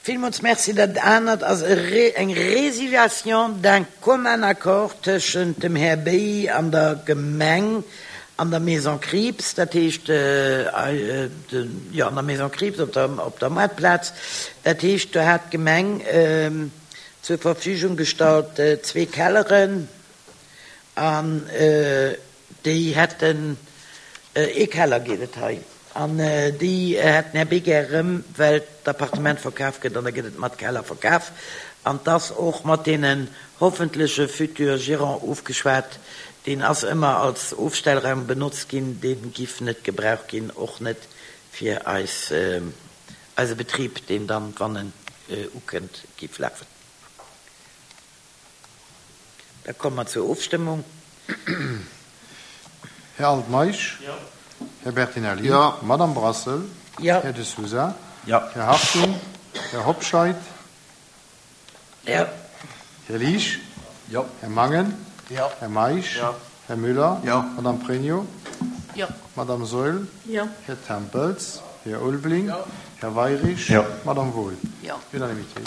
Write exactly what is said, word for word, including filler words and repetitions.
Villmools Merci. Dat anert ass eng Résiliation d'un commun accord tëschent dem Här Bey an der Gemeng an der Maison Krieps, dat heescht, jo, an der Maison Krieps op der, op der Moartplaz. Dat heescht, do hat d'Gemeng zur Verfügung gestallt zwee Kelleren an déi hätten, ee Keller geet et hei, an déi hätt den Här Bey gär erëm, well d'Appartement verkaf gëtt an da gëtt et mat Keller verkaf. An 't ass och mat deenen hoffentleche future Gérants ofgeschwat. Deen ass ëmmer als Ofstellraum benotzt ginn, dee giff net gebraucht ginn, och net fir eis, eise Betrib, deen dann, wann en ukënnt, giff lafen. Da komme mer zur Ofstëmmung. Här Altmeisch? Jo. Här Bertinelli? Jo. Madame Brassel? Jo. Här De Sousa? Jo. Här Hartung? Här Hobscheit? Jo. Här Liesch? Jo. Här Mangen? Jo. Här Meisch? Jo. Här Müller? Jo. Madame Pregno? Jo. Madame Saeul? Jo. Här Tempels? Här Ulveling? Jo. Här Weirich? Jo. Madame Wohl? Jo. Unanimité.